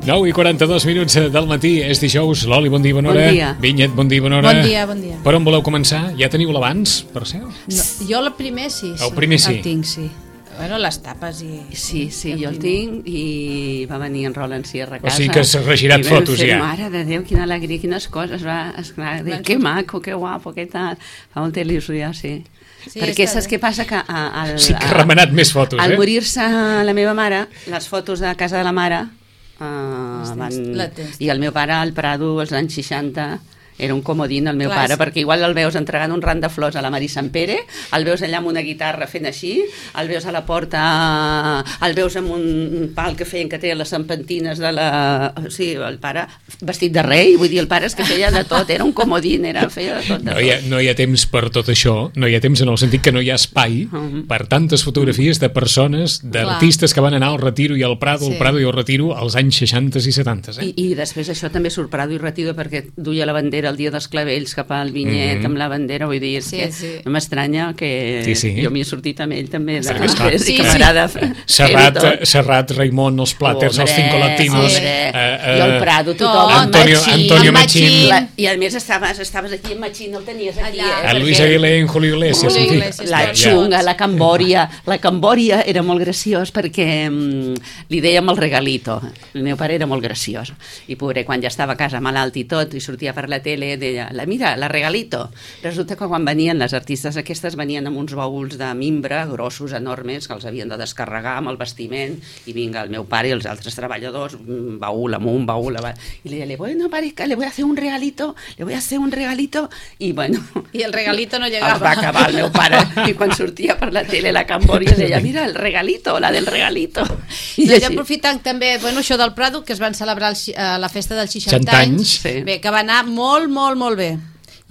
9:42 del matí, és dijous. Loli, bon dia, bona hora. Bon dia. Vinyet, bon dia, bona hora. Bon dia, bon dia. Per on voleu començar? Ja teniu l'abans, per cert? No, jo el primer sí. El primer sí. El tinc, sí. Bueno, les tapes i... Sí, jo el tinc i va venir en Roland Sierra a casa. O sigui que s'ha regirat fotos ja. Mare de Déu, quina alegria, quines coses. Esclar, que maco, que guapo, que tal. Fa molta il·lusió, sí. Sí, perquè saps què passa? Que sí que ha remenat més fotos, al morir-se la meva mare, les fotos de casa de la mare i el meu pare al Prado als anys 60 era un comodín el meu pare, perquè igual el veus entregant un ram de flors a la Mari Sant Pere, el veus allà amb una guitarra fent així, el veus a la porta, el veus amb un pal que feien que té les serpentines de la... Sí, el pare vestit de rei, vull dir, el pare és que feia de tot, era un comodín, feia de tot. No hi ha temps per tot això, no hi ha temps en el sentit que no hi ha espai per tantes fotografies de persones, d'artistes que van anar al Retiro i al Prado, el Prado i el Retiro als anys 60 i 70. I després això també surt Prado i Retiro perquè duia la bandera el dia dels clavells cap al Vinyet amb la bandera, vull dir, no m'estranya que jo m'hi he sortit amb ell també de camarada. Serrat, Raimon, els Plàters, els Cinco Latinos, jo el Prado, tothom, Antonio Machín, i a més estaves aquí en Machín, el tenies aquí, Luis Aguilé en Julio Iglesias, la Xunga, la Cambòria era molt graciós perquè li dèiem el regalito, el meu pare era molt graciós i pobre, quan ja estava a casa malalt i tot i sortia per la tele deia, mira, la regalito. Resulta que quan venien les artistes aquestes venien amb uns baúls de mimbre grossos, enormes, que els havien de descarregar amb el vestiment i vinga, el meu pare i els altres treballadors, baúl amunt, baúl avall, i li deia, bueno, pareja, le voy a hacer un regalito i bueno... I el regalito no llegava. Es va acabar el meu pare i quan sortia per la tele la Cambòria deia, mira, el regalito, la del regalito. I doncs aprofitant també, bueno, això del Prado, que es van celebrar la festa dels 60 anys, bé, que va anar molt bé.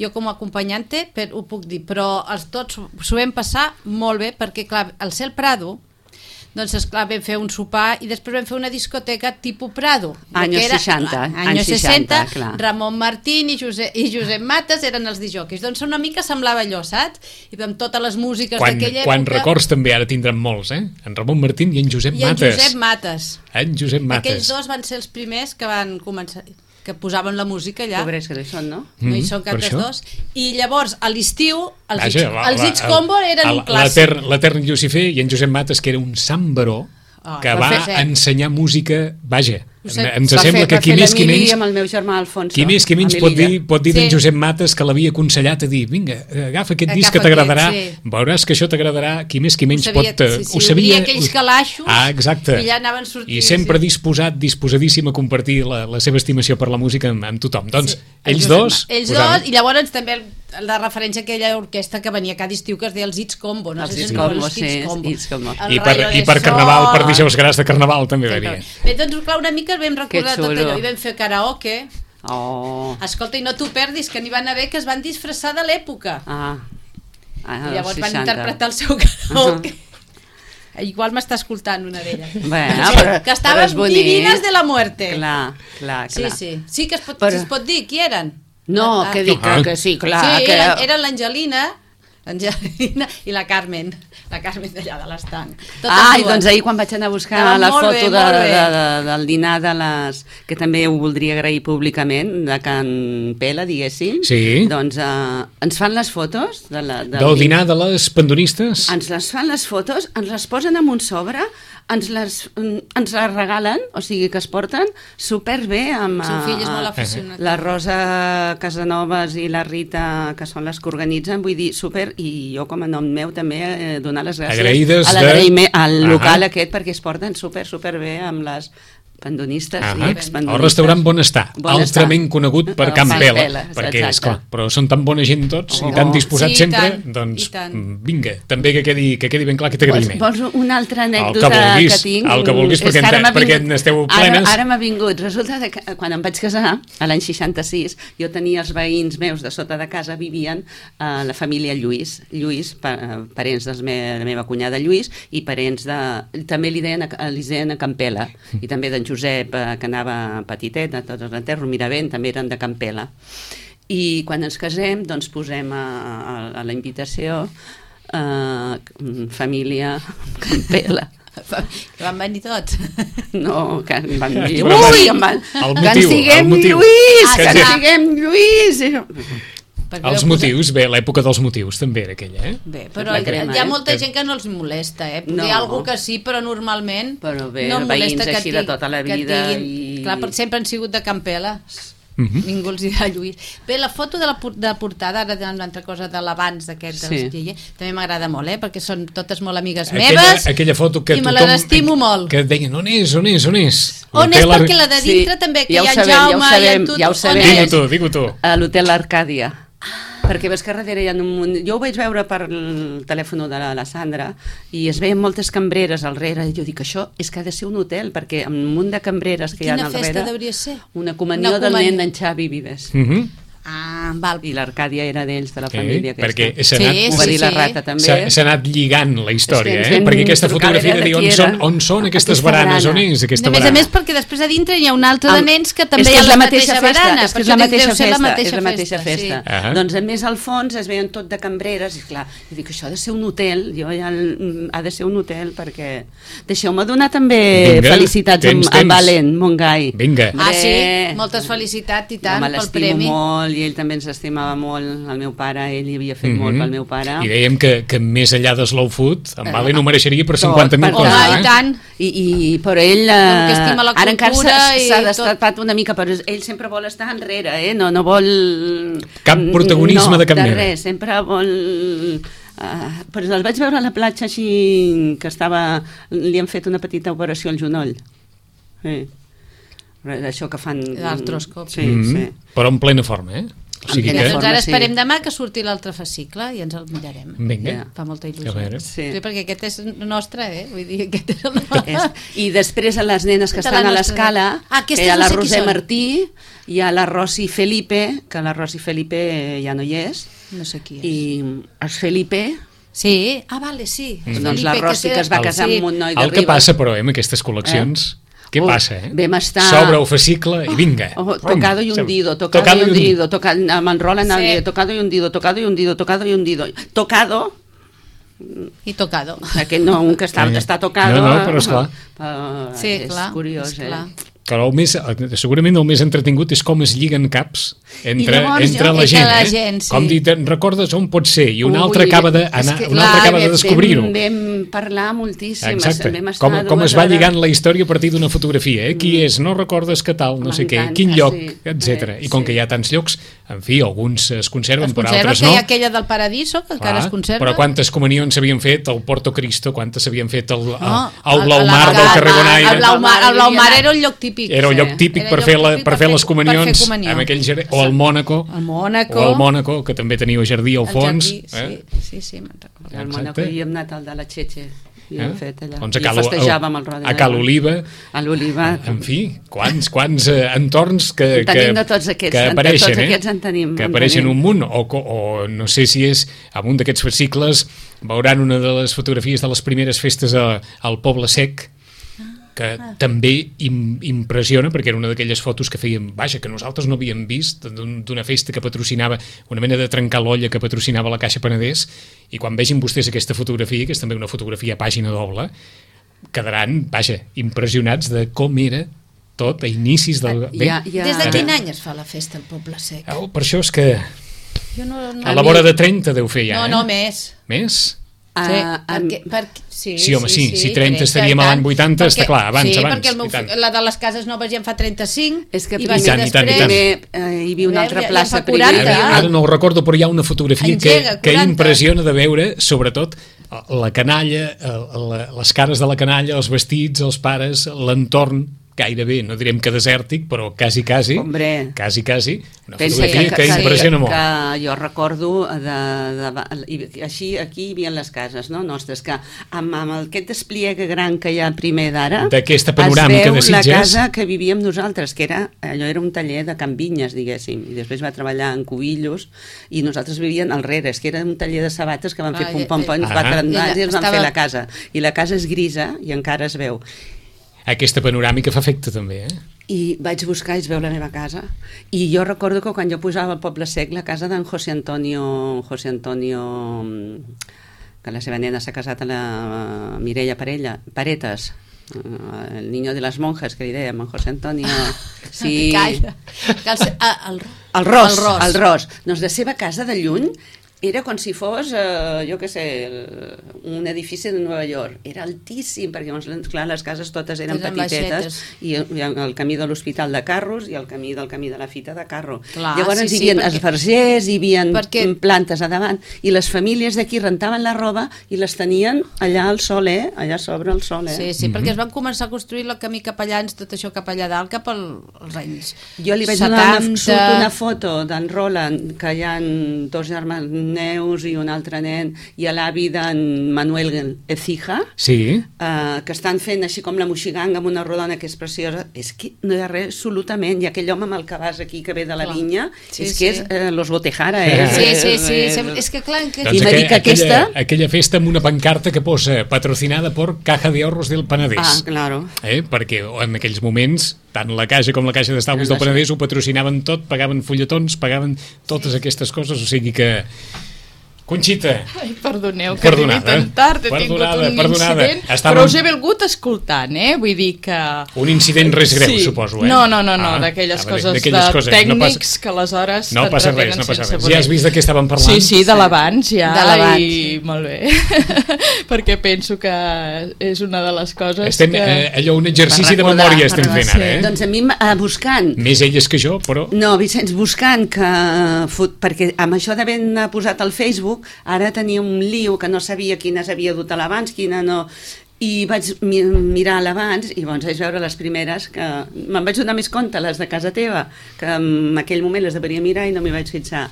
Jo com a acompanyante ho puc dir, però tots s'ho vam passar molt bé perquè, clar, al ser el Prado, doncs, esclar, vam fer un sopar i després vam fer una discoteca tipus Prado. Anys 60, clar. Ramon Martín i Josep Mates eren els disjòqueis. Doncs una mica semblava allò, saps? I amb totes les músiques d'aquella època... Quan records també ara tindran molts, En Ramon Martín i en Josep Mates. En Josep Mates. Aquells dos van ser els primers que van començar... que posaven la música allà. Pobres que no hi són, no? No hi són cap dels dos. I llavors, a l'estiu, els Hits Combo eren un clàssic. L'Etern Llucifer i en Josep Mates, que era un sàmbaro que va ensenyar música, vaja, ens sembla que qui més qui menys pot dir d'en Josep Mates que l'havia aconsellat a dir, vinga, agafa aquest disc que t'agradarà, veuràs que això t'agradarà, qui més qui menys pot... Ho sabia aquells calaixos exacte, i allà anaven sortint. I sempre disposadíssim a compartir la seva estimació per la música amb tothom. Doncs ells dos, i llavors també la referència a aquella orquestra que venia cada estiu que es deia els Hits Combo. Els Hits Combo. I per Carnaval, per dijous grans de Carnaval també venia. Bé, doncs clar, una mica vam recordar tot allò i vam fer karaoke. Escolta, i no t'ho perdis, que n'hi van haver que es van disfressar de l'època. I llavors van interpretar el seu karaoke. Igual m'està escoltant una d'elles. Que estaven divines de la muerte. Clar. Sí que es pot dir qui eren. No, que dic que sí, clar. Sí, eren l'Angelina i la Carmen d'allà de l'estanc. I doncs ahir quan vaig anar a buscar la foto del dinar de les... que també ho voldria agrair públicament, de Can Pela, diguéssim, doncs ens fan les fotos del dinar de les pandonistes? Ens les fan les fotos, ens les posen en un sobre, ens les regalen, o sigui que es porten superbé amb la Rosa Casanovas i la Rita, que són les que organitzen, vull dir, super, i jo com a nom meu també donar les gràcies al local aquest perquè es porten super bé amb les pandonistes i expandonistes. El restaurant Bonestar, altrament conegut per Can Pela, perquè és clar, però són tan bona gent tots i tan disposats sempre, doncs vinga, també que quedi ben clar que t'agraïm. Vols una altra anècdota que tinc? El que vulguis, perquè n'esteu plenes. Ara m'ha vingut, resulta que quan em vaig casar, a l'any 66, jo tenia els veïns meus de sota de casa, vivien la família Lluís, parents de la meva cunyada Lluís, i parents de... també li deien a Can Pela, i també d'en Josep, que anava petitet, a tots els enterros, Miravent, també eren de Can Pela. I quan ens casem, doncs posem a la invitació família Can Pela. Que van venir tots. No, que van dir... Ui! Que en siguem Lluís! Que en siguem Lluís! Els motius, bé, l'època dels motius també era aquella, Bé, però hi ha molta gent que no els molesta, Hi ha algú que sí, però normalment no molesta que així de tota la vida Clar, sempre han sigut de Campela. Ningú els dirà Lluís. Bé, la foto de portada, ara una altra cosa de l'abans d'aquest també m'agrada molt, perquè són totes molt amigues meves, aquella foto que i me l'estimo molt, que deien on és perquè la de dintre també, que hi ha Jaume ja ho sabem, digue-ho tu. A l'Hotel Arcàdia, perquè ves que darrere hi ha un munt... Jo ho vaig veure per el telèfon de la Sandra i es veien moltes cambreres al darrere i jo dic, això és que ha de ser un hotel perquè amb un munt de cambreres que hi ha al darrere... Quina festa deuria ser? Una comunió del nen d'en Xavi Vives. Val. I l'Arcàdia era d'ells, de la família perquè ho va dir la Rata també. S'ha anat lligant la història, perquè aquesta fotografia de dir on són aquestes baranes, on és aquesta barana. A més perquè després a dintre hi ha un altre de nens que també hi ha la mateixa barana, és la mateixa festa. Doncs a més al fons es veien tot de cambreres i clar, jo dic, això ha de ser un hotel, ha de ser un hotel perquè... Deixeu-me donar també felicitats amb Valent Montgai. Vinga. Sí, moltes felicitats i tant pel premi. Molt, i ell també ens estimava molt, el meu pare, ell hi havia fet molt pel meu pare. I dèiem que més enllà de Slow Food, en Valen ho mereixeria per 50.000 coses. I tant. Però ell ara encara s'ha destapat una mica, però ell sempre vol estar enrere, no vol... Cap protagonisme de cap mena. Res, sempre vol... Però el vaig veure a la platja així, que li han fet una petita operació al genoll. Això que fan... L'artroscòpia. Sí. Però en plena forma, O sigui que... Doncs ara esperem demà que surti l'altre fascicle i ens el mirarem. Vinga. Fa molta il·lusió. Sí, perquè aquest és nostre, Vull dir, aquest és el nostre. I després a les nenes que estan a l'escala, que hi ha la Roser Martí, hi ha la Rosi Felipe, que la Rosi Felipe ja no hi és. No sé qui és. I el Felipe... Sí, vale, sí. Doncs la Rosi que es va casar amb un noi de Ribes. El que passa, però, amb aquestes col·leccions... Què passa, Vam estar... S'obre el fascicle i vinga. Tocado y hundido, tocado y hundido, m'enrola en el tocado y hundido, tocado y hundido, tocado y hundido. Tocado... I tocado. Aquell no, un que està tocado... No, però esclar. Sí, clar. És curiós, Però segurament el més entretingut és com es lliguen caps entre la gent. Com dir, recordes on pot ser? I un altre acaba de descobrir-ho. Vam parlar moltíssim. Exacte. Com es va lligant la història a partir d'una fotografia. Qui és? No recordes que tal? No sé què. Quin lloc? Etc. I com que hi ha tants llocs, en fi, alguns es conserven, però altres no. Hi ha aquella del Paradiso, que encara es conserva. Però quantes comunions s'havien fet al Porto Cristo, quantes s'havien fet al Blaumar del carrer Bonaire. El Blaumar era un lloc típic. Era un lloc típic per fer les comunions amb aquell jardí, o el Mònaco, que també tenia jardí al fons. Sí, me'n recordo. Al Mònaco hi hem anat al de la Txetxe. I festejàvem el Roda. A Cal Oliva. A l'Oliva. En fi, quants entorns que apareixen, que apareixen un munt, o no sé si és en un d'aquests fascicles veuran una de les fotografies de les primeres festes al Poble Sec, que també impressiona, perquè era una d'aquelles fotos que fèiem, que nosaltres no havíem vist, d'una festa que patrocinava, una mena de trencar l'olla que patrocinava la Caixa Penedès, i quan vegin vostès aquesta fotografia, que és també una fotografia a pàgina doble, quedaran, impressionats de com era tot a inicis del... Des de quin any es fa la festa al Poble Sec? Per això és que a la vora de 30 deu fer ja. No, més. Més? Sí, home, si 30 estaríem a l'any 80, està clar, abans. Sí, perquè la de les cases noves ja en fa 35. És que primer hi havia una altra plaça. Ara no ho recordo, però hi ha una fotografia que impressiona de veure, sobretot, la canalla, les cares de la canalla, els vestits, els pares, l'entorn, gairebé, no direm que desèrtic, però quasi, Hombre, quasi, una fotografia que impressiona molt. Que jo recordo, així aquí hi havia les cases nostres, que amb aquest despliegue gran que hi ha primer d'ara, d'aquesta panoràmica de Sitges, es veu la casa que vivíem nosaltres, que allò era un taller de Can Vinyes, diguéssim, i després va treballar en Cubillos, i nosaltres vivíem al rere, que era un taller de sabates que van fer pum-pum-pum, quatre andats i ens van fer la casa. I la casa és grisa i encara es veu. Aquesta panoràmica fa efecte també, I vaig buscar i es veu la meva casa. I jo recordo que quan jo posava al Poble Sec la casa d'en José Antonio que la seva nena s'ha casat a la Mireia Paretes, el niño de las monjas, que li dèiem, en José Antonio... Sí. Calla. El Ros. Doncs la seva casa de lluny era com si fos, jo què sé, un edifici de Nova York. Era altíssim, perquè, clar, les cases totes eren petitetes, i el camí de l'Hospital de Carros i el camí de la Fita de Carro. Clar, llavors hi havia esbargers, hi havia plantes a davant, i les famílies d'aquí rentaven la roba i les tenien allà al sol, allà sobre el sol. Sí, perquè es van començar a construir el camí cap allà, tot això cap allà dalt, cap als anys 70. Jo li vaig donar una foto d'en Roland, que hi ha dos germans Neus i un altre nen, i a l'avi d'en Manuel Ecija, que estan fent així com la moixiganga amb una rodona que és preciosa. És que no hi ha res absolutament, i aquell home amb el cabàs aquí que ve de la vinya, és que és Los Botejara. Sí, és que clar... Aquella festa amb una pancarta que posa patrocinada per Caja de Ahorros del Penedès. Ah, claro. Perquè en aquells moments tant la Caixa com la Caixa d'Estalvis del Penedès ho patrocinaven tot, pagaven fulletons, pagaven totes aquestes coses, o sigui que... Conxita. Ai, perdoneu, que arribi tan tard, he tingut un incident, però us he volgut escoltant, vull dir que... Un incident res greu, suposo, No, d'aquelles coses de tècnics que aleshores t'entretenen sense voler. Ja has vist de què estàvem parlant? Sí, de l'abans ja, i molt bé, perquè penso que és una de les coses que... Allò, un exercici de memòria estem fent ara, Doncs a mi, buscant... Més elles que jo, però... No, Vicenç, buscant que... Perquè amb això d'haver posat al Facebook, ara tenia un lío que no sabia quines havia dut a l'abans, quina no... I vaig mirar l'abans i vaig veure les primeres que... Me'n vaig donar més compte, les de casa teva, que en aquell moment les deveria mirar i no m'hi vaig fixar.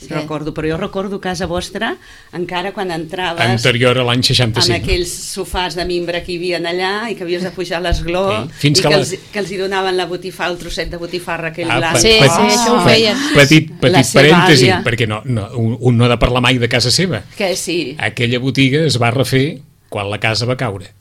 Recordo, però jo recordo casa vostra encara quan entraves anterior a l'any 65 amb aquells sofàs de mimbre que hi havia allà i que havies de pujar l'esgló i que els hi donaven la botifarra, el trosset de botifarra aquell blanc. Això ho feien. Petit parèntesi, perquè un no ha de parlar mai de casa seva. Que sí. Aquella botiga es va refer quan la casa va caure.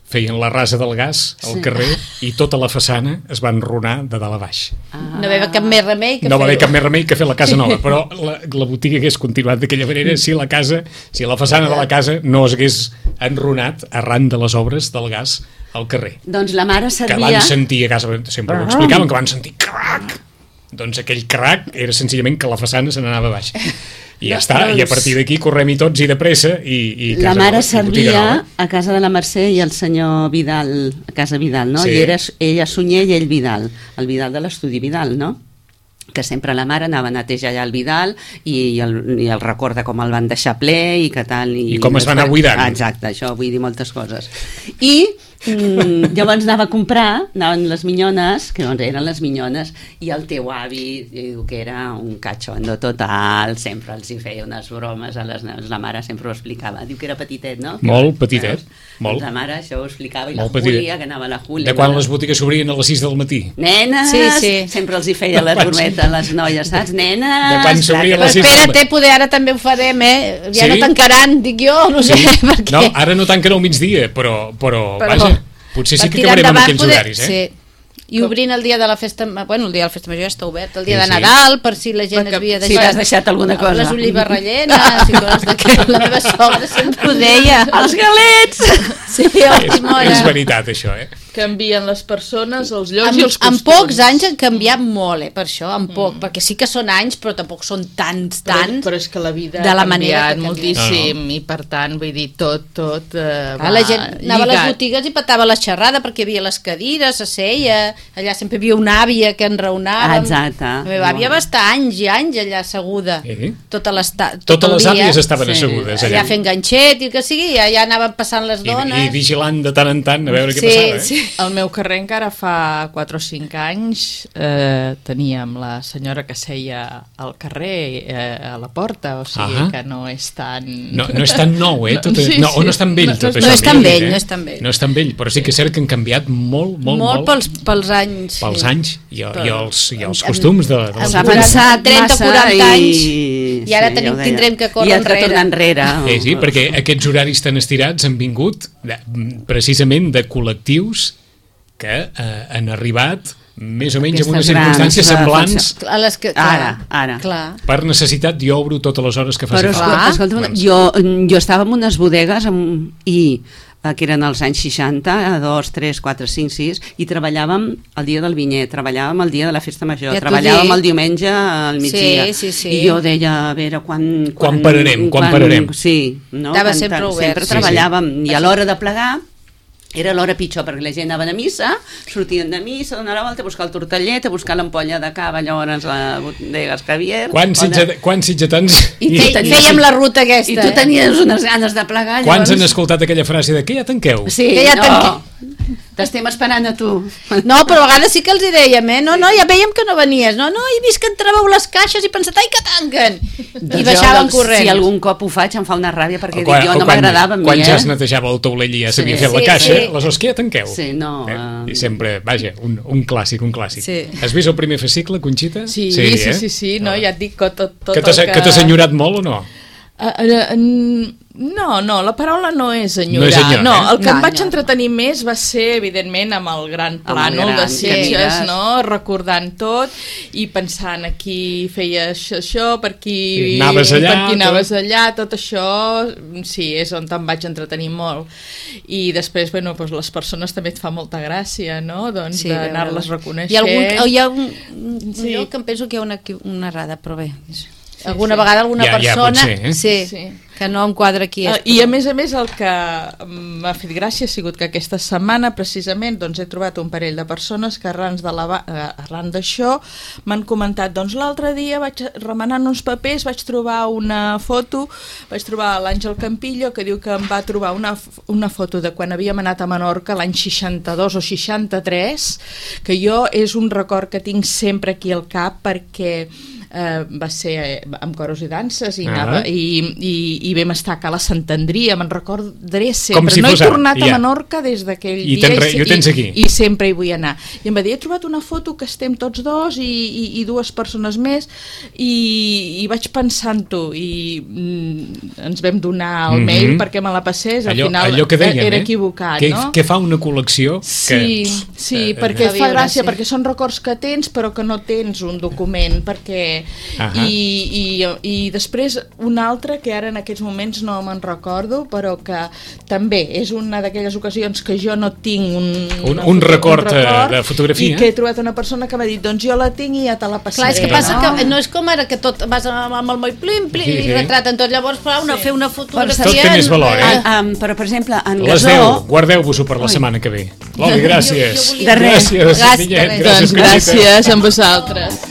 Feien la rasa del gas al carrer i tota la façana es va enrunar de dalt a baix. No va haver cap més remei que no va haver cap més remei que fer la casa nova, però la botiga hagués continuat d'aquella manera si la façana de la casa no es hagués enrunat arran de les obres del gas al carrer. Doncs la mare servia... Que van sentir a casa, sempre ho explicaven, que van sentir crac! Doncs aquell crac era senzillament que la façana se n'anava baix. I ja està, i a partir d'aquí correm-hi tots i de pressa i la mare servia a casa de la Mercè i el senyor Vidal, a casa Vidal, no? I ella Sunyer i ell Vidal, el Vidal de l'estudi Vidal, no? Que sempre la mare anava a netejar allà el Vidal i el recorda com el van deixar ple i que tal... I com es va anar buidant. Exacte, això vull dir moltes coses. I llavors anava a comprar, anaven les minyones, que doncs eren les minyones, i el teu avi diu que era un cachondo total, sempre els hi feia unes bromes a les nenes, la mare sempre ho explicava, diu que era petitet, no? Molt petitet, molt. La mare això ho explicava, i la Júlia, que anava a la Júlia. De quan les botigues s'obrien a les 6 del matí? Nenes! Sempre els hi feia les brometes a les noies, saps? Nenes! De quan s'obria a les 6 del matí? Espera't, poder ara també ho farem, ja no tancaran, dic jo, no sé per què. No, ara no tanquen al migdia, però vaja, potser sí que acabarem amb aquells horaris, Sí. I obrint el dia de la festa... Bueno, el dia de la festa major ja està obert. El dia de Nadal, per si la gent havia deixat... Si has deixat alguna cosa. Les olives rellenes i coses d'aquest. La meva sogra sempre ho deia. Els galets! Sí, és veritat, això, Canvien les persones, els llocs i els costums. En pocs anys han canviat molt, per això, en poc, perquè sí que són anys, però tampoc són tants. Però és que la vida ha canviat moltíssim i per tant, vull dir, tot va la gent anava a les botigues i petava la xerrada perquè hi havia les cadires, s'asseia, allà sempre hi havia una àvia que enraonava. Exacte. La meva àvia va estar anys i anys allà asseguda. Tot Totes les àvies estaven assegudes allà. Allà fent ganxet i el que sigui, i allà anaven passant les dones. I vigilant de tant en tant a veure què passava. Sí. Al meu carrer encara fa 4 o 5 anys teníem la senyora que seia al carrer a la porta, o sigui que no és tan... No és tan nou, o no és tan vell tot això. No és tan vell, no és tan vell. No és tan vell, però sí que és cert que han canviat molt. Molt pels anys. Pels anys i els costums de... S'ha pensat 30-40 anys i ara tindrem que córrer enrere. Sí, perquè aquests horaris tan estirats han vingut precisament de col·lectius que han arribat més o menys en unes circumstàncies semblants a les que, ara. Per necessitat jo obro totes les hores que faci falta. Escolta, jo estava en unes bodegues que eren els anys 60, 2, 3, 4, 5, 6, i treballàvem el dia del vinyer, treballàvem el dia de la festa major, treballàvem el diumenge al migdia. Sí. I jo deia, a veure, quan pararem? Sí, no? Estava sempre obert. Sempre treballàvem, i a l'hora de plegar era l'hora pitjor, perquè la gent anaven a missa, sortien de missa, donar la volta, a buscar el tortellet, a buscar l'ampolla de cava, llavors a bodegues Javier. Quants sitgetans... I fèiem la ruta aquesta. I tu tenies unes ganes de plegar. Quants han escoltat aquella frase de que ja tanqueu? Sí, que ja tanqueu. T'estem esperant a tu. No, però a vegades sí que els hi dèiem, no, ja vèiem que no venies, no, he vist que entràveu les caixes i pensat, ai, que tanquen! I baixaven corrents. Si algun cop ho faig em fa una ràbia perquè dic, jo no m'agradava a mi. Quan ja es netejava el taulell i ja s'havia fet la caixa, aleshores que ja tanqueu. Sí, no. I sempre, vaja, un clàssic. Sí. Has vist el primer fascicle, Conxita? Sí, no, ja et dic que tot que t'ha enyorat molt o no? No, la paraula no és enyorar. No, el que em vaig entretenir més va ser, evidentment, amb el gran plànol de Sitges, no? Recordant tot i pensant aquí feies això, per aquí anaves allà, tot això, sí, és on em vaig entretenir molt. I després, bueno, doncs les persones també et fa molta gràcia, no? Doncs d'anar-les reconeixent. Hi ha un lloc que em penso que hi ha una errada, però bé... Alguna vegada alguna persona que no em quadra aquí i a més el que m'ha fet gràcia ha sigut que aquesta setmana precisament doncs he trobat un parell de persones que arran d'això m'han comentat, doncs l'altre dia vaig remenant uns papers, vaig trobar una foto, vaig trobar l'Àngel Campillo que diu que em va trobar una foto de quan havíem anat a Menorca l'any 62 o 63, que jo és un record que tinc sempre aquí al cap perquè va ser amb coros i danses i vam estar a Cala Santandria, me'n recordaré sempre, no he tornat a Menorca des d'aquell dia i sempre hi vull anar, i em va dir, he trobat una foto que estem tots dos i dues persones més i vaig pensant-ho i ens vam donar el mail perquè me la passés, al final era equivocat, no? Que fa una col·lecció sí, perquè fa gràcia, perquè són records que tens però que no tens un document, perquè i després un altre que ara en aquests moments no me'n recordo però que també és una d'aquelles ocasions que jo no tinc un record de fotografia i que he trobat una persona que m'ha dit doncs jo la tinc i ja te la passaré. Clar, és que passa que no és com ara que tot vas amb el moll plim i retraten tot, llavors fer una fotografia tot té més valor, però per exemple en les 10, guardeu-vos-ho per la setmana que ve. Loli, gràcies. De res. Gràcies amb vosaltres.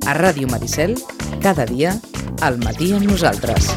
A Ràdio Maricel, cada dia, al matí amb nosaltres.